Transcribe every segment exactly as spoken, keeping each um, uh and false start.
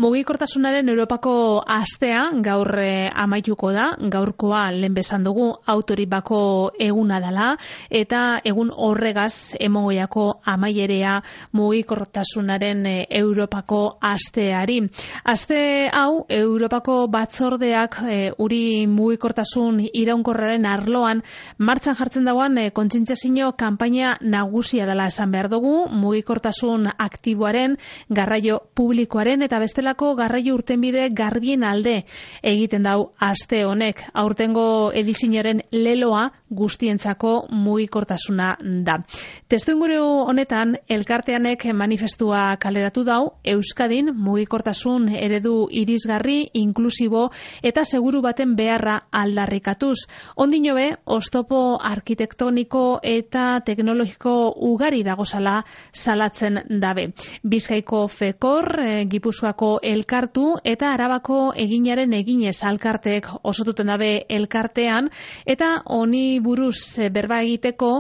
Mugikortasunaren Europako astea gaur eh, amaituko da, gaurkoa lehen besan dugu autoribako eguna dela, eta egun horregaz emogoiako amaierea mugikortasunaren eh, Europako asteari. Aste hau, Europako batzordeak eh, uri mugikortasun iraunkorraren arloan martxan jartzen dagoan eh, kontzientziazio kanpaina nagusia dela esan behar dugu, mugikortasun aktiboaren, garraio publikoaren eta beste lako garraio urtenbide garbien alde egiten dau aste honek. Aurtengo edizioaren leloa guztientzako mugikortasuna da. Testuinguru honetan elkarteanek manifestua kaleratu dau Euskadin mugikortasun eredu irisgarri, inklusibo eta seguru baten beharra aldarrikatuz. Ondino be, oztopo arkitektoniko eta teknologiko ugari dagozala salatzen dabe. Bizkaiko Fekor, e, Gipuzkoako elkartu eta Arabako eginaren eginez alkarteek osotuten dabe elkartean, eta honi buruz e, berba egiteko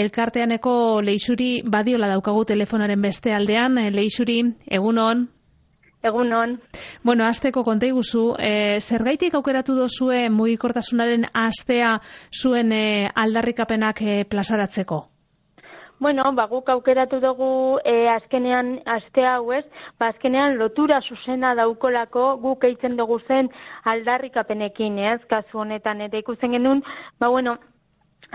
elkarteaneko Leixuri badiola daukagu telefonaren beste aldean. E, Leixuri, egunon. Egunon. Bueno, asteko konta iguzu, e, zergaitik aukeratu dozue mugikortasunaren astea zuen e, aldarrikapenak e, plazaratzeko? Bueno, ba, guk aukeratu dugu e, azkenean aste hau ez, ba, azkenean lotura zuzena daukolako guk eitzen dugu zen aldarrikapenekin, ez, kasu honetan, eta ikusten genuen, ba, bueno,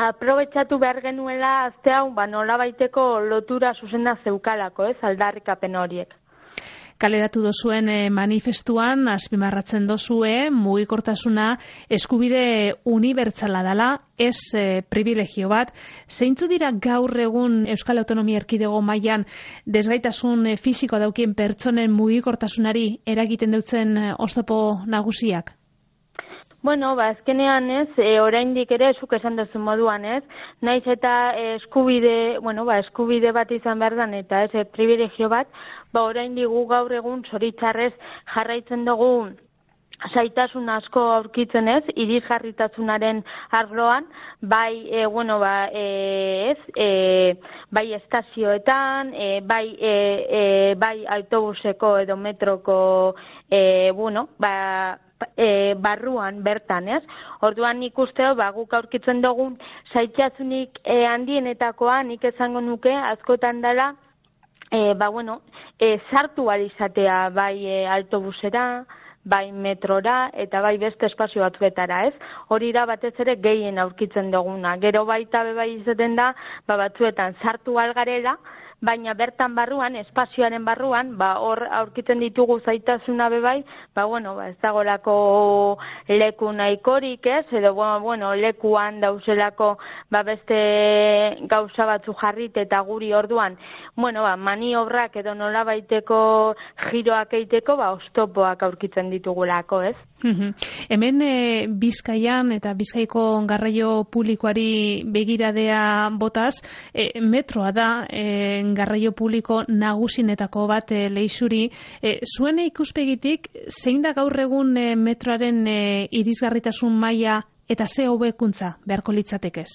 aprobetxatu behar genuela aste hau, ba, nola baiteko lotura zuzena zeukalako, ez, aldarrikapen horiek. Kaleratu dozuen manifestuan azpimarratzen dozue mugikortasuna eskubide unibertsala dela, ez e, privilegio bat. Zeintzu dira gaur egun Euskal Autonomia Erkidego mailan desgaitasun e, fisiko daukien pertsonen mugikortasunari eragiten dutzen e, oztopo nagusiak? Bueno, ba, azkenean ez, e, oraindik ere, zuk esan duzu moduan ez, naiz eta e, eskubide, bueno, ba, eskubide bat izan behar dan, eta ez, e, privilegio bat, ba, oraindik gu gaur egun zoritzarrez jarraitzen dugu zaitasun asko aurkitzen ez, irisgarritasunaren arloan, bai, e, bueno, ba, e, ez, e, bai estazioetan, e, bai, e, e, bai autobuseko edo metroko, e, bueno, ba, E, barruan bertan, ez? Orduan nik usteo, ba, guk aurkitzen dugun zaitxasunik e, handienetakoa, nik esango nuke, askotan dela, e, ba, bueno, e, sartu alizatea, bai e, autobusera, bai metrora, eta bai beste espazio batzuetara, ez? Hori da batez ere gehien aurkitzen duguna. Gero baita be bai izaten da, ba, batzuetan sartu algarela, baina bertan barruan, espazioaren barruan, ba, hor aurkitzen ditugu zaitasuna bebai, ba, bueno, ba, ez dagolako leku nahikorik, ez, edo, bueno, lekuan dauzelako, ba, beste gauza batzu jarrit eta guri orduan, bueno, ba, maniobrak edo nola baiteko giroak eiteko, ba, oztopoak aurkitzen ditugulako, ez? Uhum. Hemen e, Bizkaian eta Bizkaiko garraio publikoari begiradea botaz, e, metroa da e, garraio publiko nagusinetako bat e, Leixuri. E, zuen ikuspegitik, zein da gaur egun e, metroaren e, irisgarritasun maila eta ze hobekuntza beharko litzatekez?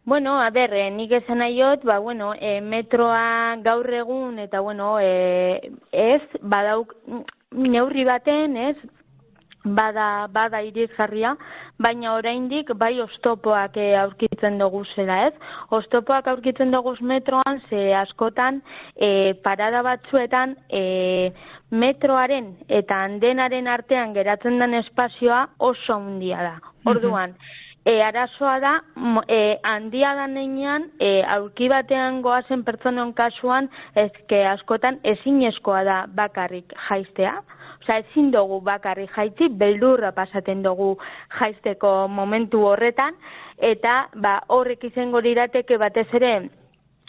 Bueno, a ber, eh, nik esan nahiot, ba, bueno, e, metroa gaur egun eta, bueno, e, ez, badauk neurri baten, ez, bada bada irisgarria, baina oraindik bai oztopoak e, aurkitzen dugu zela, ez? Oztopoak aurkitzen dugu metroan, ze askotan e, parada batzuetan e, metroaren eta andenaren artean geratzen den espazioa oso handia da. Orduan, E, arazoa da, e, handia da neinean, e, aurki batean goazen pertsonen kasuan, ezke askotan ezinezkoa da bakarrik jaistea. Osa, ezin dugu bakarrik jaitzi, beldurra pasaten dugu jaisteko momentu horretan, eta ba, horrek izango lirateke batez ere,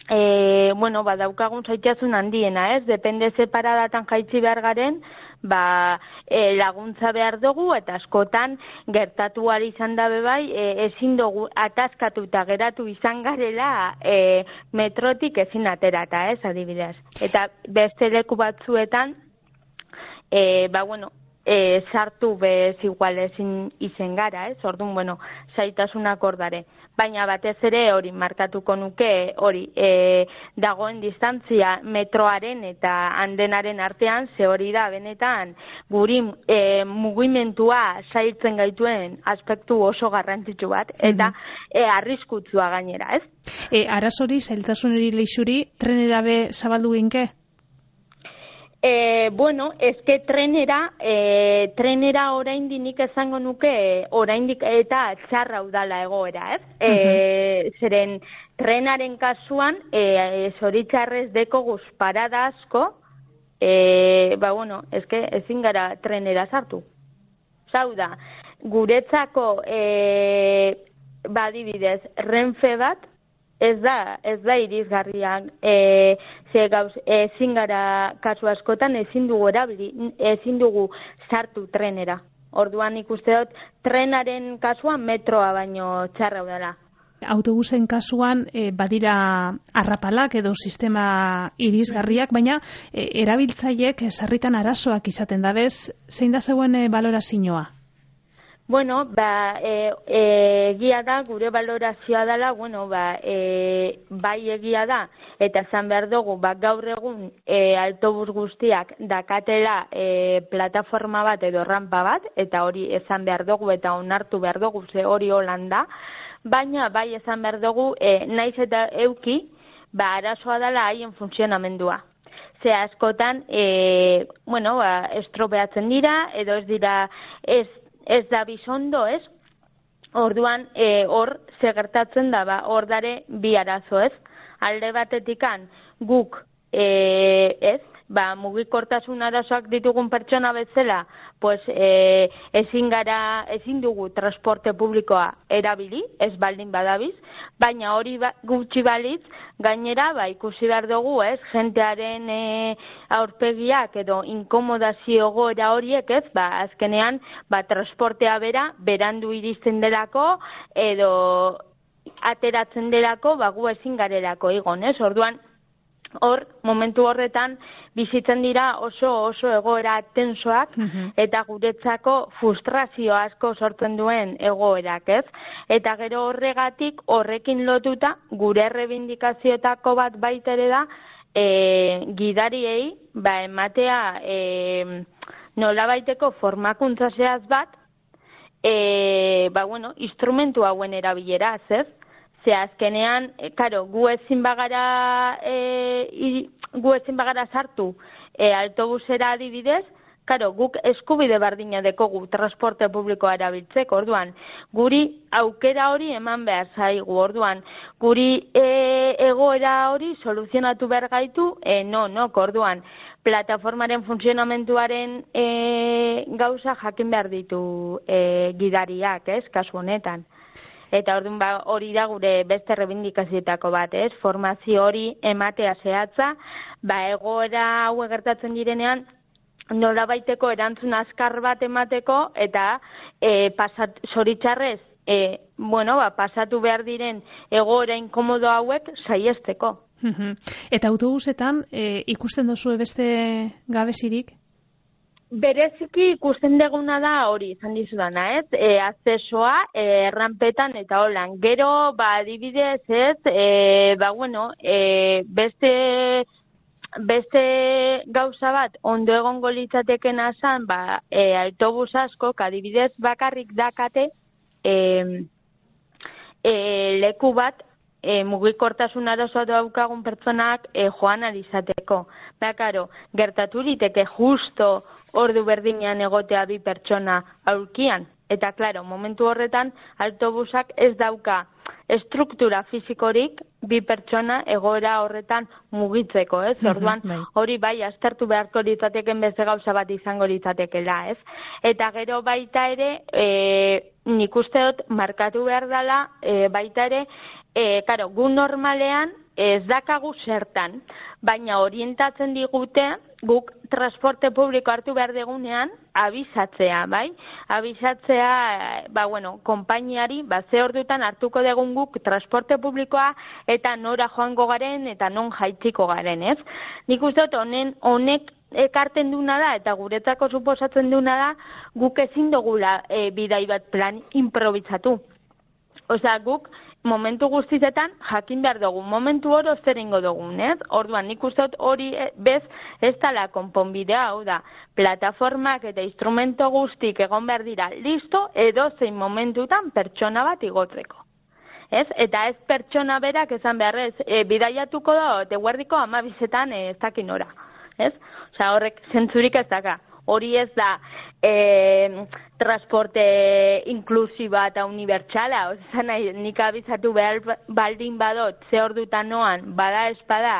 e, bueno, ba, daukagun zaitasun handiena, ez? Depende ze paradatan jaitzi behar garen, ba, e, laguntza behar dugu, eta askotan gertatu ari izan dabe bai, e, ezin dugu ataskatu eta geratu izan garela e, metrotik ezin aterata, ez, adibidez. Eta beste leku batzuetan, e, ba, bueno, e, sartu bez igual ezin izen gara, ez? Orduan, bueno, zaitasunak ordare. Baina batez ere hori markatuko nuke hori e, dagoen distantzia metroaren eta andenaren artean, ze hori da benetan guri e, mugimentua zailtzen gaituen aspektu oso garrantzitsu bat, eta e, arriskutsua gainera, ez? E, arazori, zailtasuneri leixuri, trenera be zabaldu ginke? E, bueno, eske trenera, e, trenera oraindik nik esango nuke oraindik eta txarra udala egoera, ez? E, uh-huh. Zeren trenaren kasuan, e, zoritxarrez deko guz parada asko, e, ba bueno, eske ezin gara trenera sartu. Zau da, guretzako, e, badibidez, Renfe bat, Ez da, ez da irizgarriak, e, ze gauz, ezin gara kasu askotan ezin dugu erabili, ezin dugu sartu trenera. Orduan ikuste dut, trenaren kasuan metroa baino txarra dela. Autobusen kasuan e, badira arrapalak edo sistema irizgarriak, baina e, erabiltzaileek sarritan arazoak izaten da, bez, zein da zeuen e, balorazioa? Bueno, ba, e, e, egia da, gure balorazioa dela, bueno, ba, e, bai egia da, eta esan behar dugu, ba, gaur egun e, autobus guztiak dakatela e, plataforma bat edo rampa bat, eta hori esan behar dugu eta onartu behar dugu, ze hori holanda, baina bai esan behar dugu, e, naiz eta euki, ba, arazoa dela haien funtzionamendua. Ze askotan, e, bueno, ba, estropeatzen dira, edo ez dira, ez Ez da bizondo, ez? Orduan, e, hor, segertatzen da, ba, hor dare bi arazo, ez? Alde batetikan, guk, e, ez? Ba, mugikortasun arazoak ditugun pertsona bezala, pues, e, ezin gara, ezin dugu transporte publikoa erabili, ez baldin badabiz, baina hori ba, gutxi balitz, gainera, ba, ikusi behar dugu, ez, jentearen e, aurpegiak edo inkomodazio goera horiek, ez, ba, azkenean, ba, transportea bera, berandu iristen delako, edo ateratzen delako, ba, gu ezin garelako igon, ez, orduan, hor, momentu horretan, bizitzen dira oso oso egoera tensoak, uh-huh. eta guretzako frustrazio asko sortzen duen egoerak, ez? Eta gero horregatik, horrekin lotuta, gure rebindikazioetako bat baitere da, e, gidariei, ba, ematea e, nolabaiteko formakuntza zehaz bat, e, ba, bueno, instrumentu hauen erabileraz, ez? Ze azkenean, e, karo, gu ezin bagara, e, gu ezin bagara sartu e, autobusera adibidez, karo, guk eskubide berdina dekogu transporte publikoa erabiltzeko, orduan, guri aukera hori eman behar zaigu, orduan, guri e, egoera hori soluzionatu behar gaitu, e, no, no, orduan, plataformaren funtzionamentuaren e, gauza jakin behar ditu e, gidariak, ez, kasu honetan. Eta orduan ba, hori da gure beste rebindikazioetako bat, ez? Formazio hori ematea zehatza, ba egoera hau gertatzen direnean nolabaiteko erantzun azkar bat emateko eta e, pasat, zoritxarrez, e, bueno, ba, pasatu behar diren egoera inkomodo hauek saiesteko. Eta autobusetan e, ikusten duzue beste gabezirik? Bereziki ikusten deguna da hori, izan dizudana, ez? E, akzesoa, e, errampetan eta holan. Gero, ba, adibidez, ez, e, ba, bueno, e, beste, beste gauza bat, ondo egongo litzateken asan, ba, e, autobus asko, adibidez, bakarrik dakate, e, e, leku bat, E, mugikortasun arazoa daukagun pertsonak e, joan alizateko. Ba, karo, gertatu liteke justo ordu berdinean egotea bi pertsona aurkian. Eta, klaro, momentu horretan, autobusak ez dauka estruktura fizikorik bi pertsona egoera horretan mugitzeko, ez? Orduan, hori bai, aztertu beharko litzateken beste gauza bat izango litzatekela, ez? Eta gero baita ere, e, nik uste dut, markatu behar dela, e, baita ere, E, karo, gu normalean ez dakagu zertan, baina orientatzen digute guk transporte publiko hartu behar degunean abizatzea, bai? Abizatzea, ba, bueno, konpainiari, ba, ze ordutan hartuko degun guk transporte publikoa eta nora joango garen eta non jaitziko garen, ez? Nik uste dut honen, honek ekarten duna da, eta guretzako suposatzen duna da, guk ezin dugula e, bidai bat plan improvisatu. Osea, guk momentu guztietan jakin behar dugu, momentu oro zer ingo dugun, ez? Orduan, nik uste dut hori bez ez dela konponbidea, hau da, plataformak eta instrumento guztik egon behar dira listo, edo zein momentutan pertsona bat igotzeko. Ez? Eta ez pertsona berak esan beharrez, e, bidaiatuko da, eta guardiko amabizetan e, ez dakin ora. Ez? Osea, horrek zentzurik ez daka. Hori ez da e, transporte inklusiba eta unibertsala. Osea, nahi, nik abizatu behar baldin badot, ze ordutan noan, bada espada,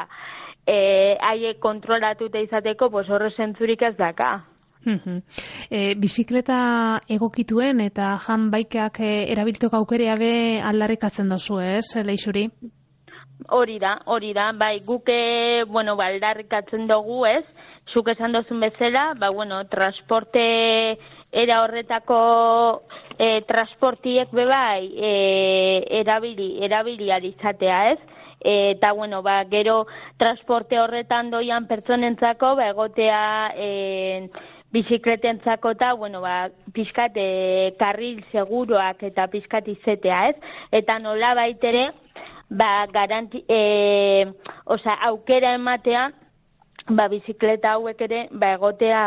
e, haie kontrolatuta izateko, pues horre zentzurik ez daka. E, bizikleta egokituen eta jan baikak e, erabilteko aukerea be aldarrikatzen dozu, ez, Leixuri? Hori da, hori da, bai, guke, bueno, ba, aldarrikatzen dugu, ez, zuk esan dozun bezala, ba, bueno, transporte era horretako e, transportiek be bai e, erabili, erabili alizatea, ez? Eta, bueno, ba, gero transporte horretan doian pertsonentzako, ba, egotea e, bizikletentzako eta, bueno, ba, pixkat e, karril seguruak eta pixkat izetea, ez? Eta nola baitere, ba, garanti, e, oza, aukera ematea, ba, bizikleta hauek ere, ba, egotea,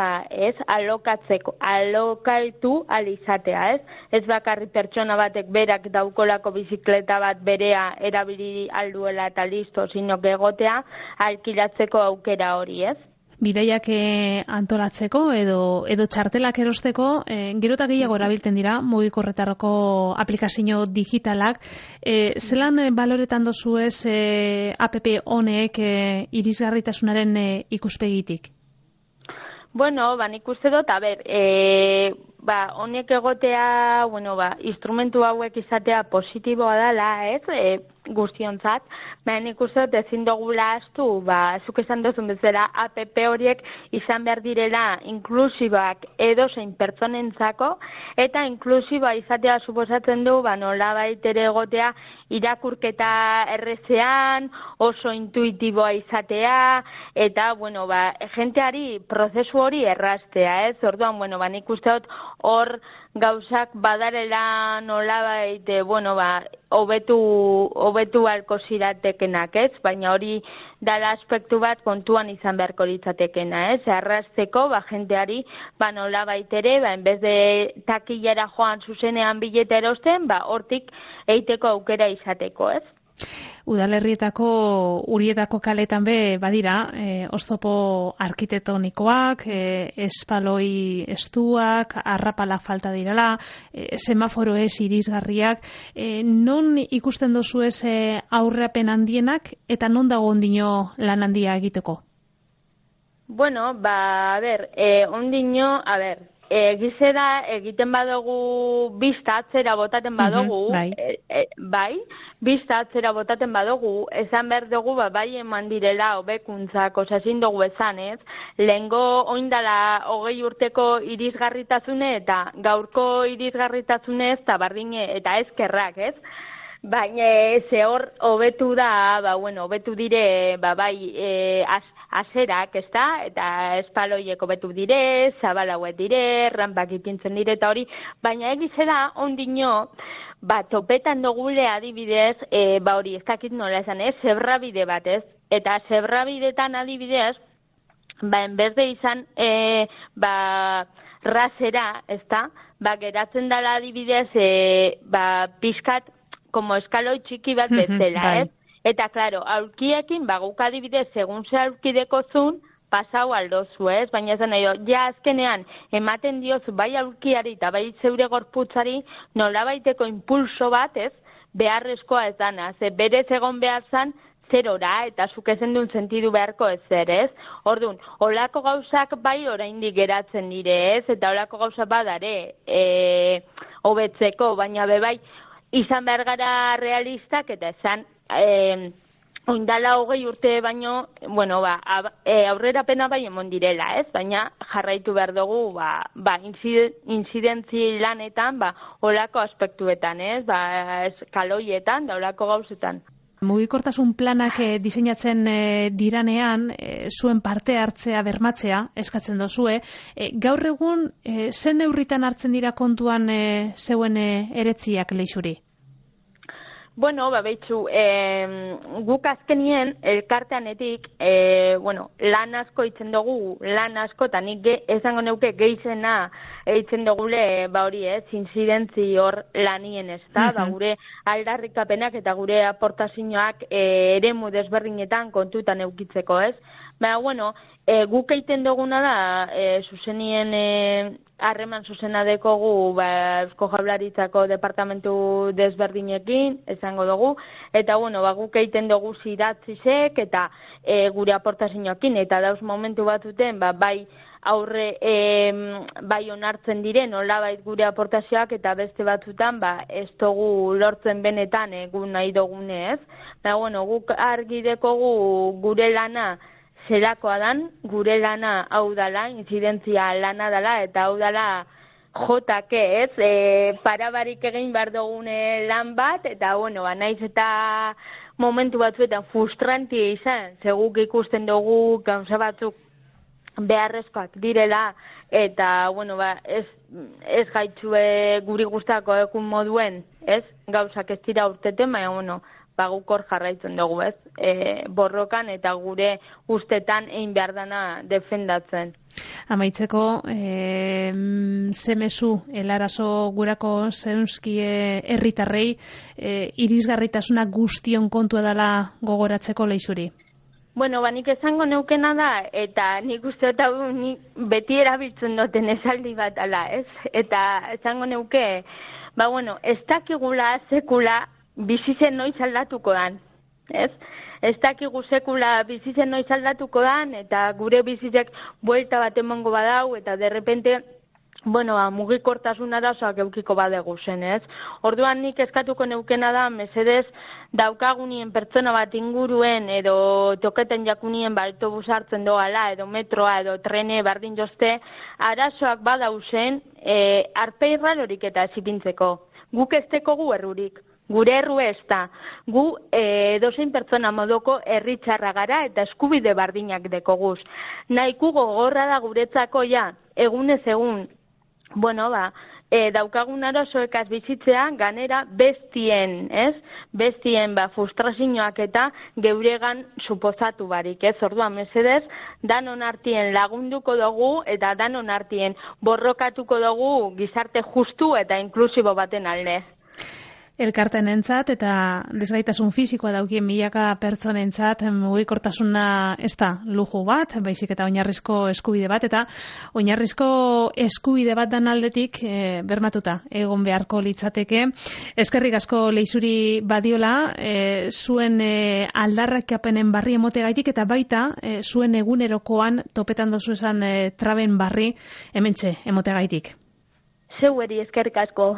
ez, alokatzeko, alokaitu alizatea, ez? Ez bakarri pertsona batek berak daukolako bizikleta bat berea erabili alduela eta listo, sino que egotea alkilatzeko aukera hori, ez? Bidaiak antolatzeko edo edo txartelak erosteko, e, gero eta gehiago erabiltzen dira mugikorretarako aplikazio digitalak. E, zelan baloretan dozu ez e, app honek e, irisgarritasunaren e, ikuspegitik? Bueno, ba, nik uste dut, a ber, e, ba, honek egotea, bueno, ba, instrumentu hauek izatea positiboa dela, ez, e, guztiontzat, baina nik uste dut ezin dugula astu, ba, zuk esan duzun bezala, app horiek izan behar direla inklusibak edozein pertsonentzako, eta inklusiba izatea suposatzen du, ba, nola baitere egotea irakurketa errezean, oso intuitiboa izatea, eta, bueno, ba, jenteari prozesu hori erraztea, ez? Orduan, bueno, ba, nik uste dut hor gauzak badarela nolabait, bueno, ba, hobetu hobetu halko ziratekenak, ez? Baina hori dala aspektu bat kontuan izan beharko litzatekena, ez? Arrasteko, ba, jenteari, ba, nolabait ere, ba, enbez de takillara joan zuzenean bilete erosten, ba, hortik eiteko aukera izateko, ez? Udalerrietako urietako kaletan be badira, e, oztopo arkitektonikoak, e, espaloi estuak, arrapala falta direla, e, semaforo ez irisgarriak, e, non ikusten dozu ez e, aurreapen handienak eta non dago ondino lan handia egiteko? Bueno, ba, a ber, e, ondino, a ber, egizera egiten badugu bista atzera botaten badugu, uh-huh, bai. E, e, bai, bista atzera botaten badugu, esan behar dugu, ba, bai eman direla hobekuntzak, osazin dugu esan, ez? Lehengo oindala hogei urteko irisgarritasune eta gaurko irisgarritasune ez, eta bardine, eta ezkerrak, ez? Baina ze hor hobetu da, ba, bueno, hobetu dire, ba, bai, e, az, azerak, ez da, eta espaloiek hobetu dire, zabalauet dire, rampak ipintzen dire, eta hori, baina egizera ondino, ba, topetan dugule adibidez, e, ba, hori, ez dakit nola esan, ez, zebrabide bat, ez, eta zebrabidetan adibidez, ba, enbez de izan, e, ba, razera, ez da, ba, geratzen dala adibidez, e, ba, pixkat, como eskaloi txiki bat bezala, ez? Eta, klaro, aurkiekin, ba, guk adibidez, segun ze aurkideko zun, pasau aldozu, ez? Baina esan nahi, ja azkenean, ematen diozu, bai aurkiari eta bai zeure gorputzari, nolabaiteko impulso bat, ez? Beharrezkoa ez dana, ze berez egon behar zan, zerora, eta zuk ezen duen sentidu beharko ez zer, ez? Orduan, olako gauzak bai oraindik geratzen dire, ez? Eta olako gauzak badare, e, hobetzeko, baina bebai, izan behar gara realistak, eta esan, e, oindala hogei urte baino, bueno, ba, e, aurrera pena bai emon direla, ez? Baina jarraitu behar dugu, ba, ba inzidentzi lanetan, ba, olako aspektuetan, ez? Ba, eskaloietan, da olako gauzetan. Mugikortasun planak e, diseinatzen e, diranean, e, zuen parte hartzea bermatzea eskatzen dozue. E, gaur egun, e, zen neurritan hartzen dira kontuan e, zeuen e, eretziak Leixuri? Bueno, ba, behitzu, e, guk azkenien elkarteanetik, e, bueno, lan asko itzen dugu, lan asko, eta nik ge, esango neuke geizena eitzen dugule, ba hori ez, inzidentzi hor lanien ez da, uh-huh. ba, gure aldarrikapenak eta gure aportazioak e, eremu desberdinetan kontutan eukitzeko ez. Ba, bueno, e, guk egiten duguna da, e, zuzenien e, harreman zuzena dekogu ba, Eusko Jaurlaritzako departamentu desberdinekin, esango dugu, eta bueno, ba, guk egiten dugu zidatzizek eta e, gure aportazioekin, eta dauz momentu batuten, ba, bai aurre e, bai onartzen diren, olabait gure aportazioak, eta beste batzutan, ba, ez dugu lortzen benetan egun nahi dugunez. Ba, bueno, guk argi dekogu gure lana zerakoa dan, gure lana hau dala, inzidentzia lana dala, eta hau dala jotake ez, e, parabarik egin behar dugune lan bat, eta bueno, ba, naiz eta momentu batzuetan frustrantia izan, seguk ikusten dugu gauza batzuk beharrezkoak direla, eta bueno, ba, ez, ez gaitzue guri gustako ekun moduen, ez, gauzak ez dira urteten, baina bueno, ba, guk hor jarraitzen dugu, ez, e, borrokan eta gure ustetan egin behar dana defendatzen. Amaitzeko, e, zemezu, helarazo gurako zeunzkie herritarrei, e, irisgarritasuna guztion kontua dela gogoratzeko Leixuri? Bueno, ba, nik esango neukena da, eta nik uste eta nik beti erabiltzen duten esaldi bat ala, ez? Eta esango neuke, ba, bueno, ez dakigula sekula bizitzen noiz aldatuko dan, ez? Ez dakigu sekula bizitzen noiz aldatuko dan, eta gure bizitzek buelta bat emango badau, eta derrepente, bueno, ba, mugikortasun arazoak eukiko badegu zen, ez? Orduan nik eskatuko neukena da, mesedez, daukagunien pertsona bat inguruen, edo toketen jakunien ba, autobus hartzen doala, edo metroa, edo trene, bardin jozte, arazoak badauzen, e, arpeirra lorik eta zipintzeko. Guk ez tekogu errurik. Gure erru ez da, gu e, dozein pertsona modoko herritxarra gara eta eskubide bardinak dekoguz. Nahiko gogorra da guretzako ja, egunez egun, bueno, ba, e, daukagun arazoekaz bizitzea, ganera bestien, ez? Bestien, ba, frustrazioak eta geuregan suposatu barik, ez? Orduan, mesedez, danon artien lagunduko dugu eta danon artien borrokatuko dugu gizarte justu eta inklusibo baten alde. Elkartenentzat eta desgaitasun fisikoa daukien milaka pertsonentzat mugikortasuna ez da luju bat, baizik eta oinarrizko eskubide bat, eta oinarrizko eskubide bat dan aldetik e, bermatuta egon beharko litzateke. Eskerrik asko Leixuri Badiola, e, zuen e, aldarrakapenen barri emotegaitik eta baita e, zuen egunerokoan topetan dozu esan e, traben barri hementxe emotegaitik. Zeueri eskerrik asko.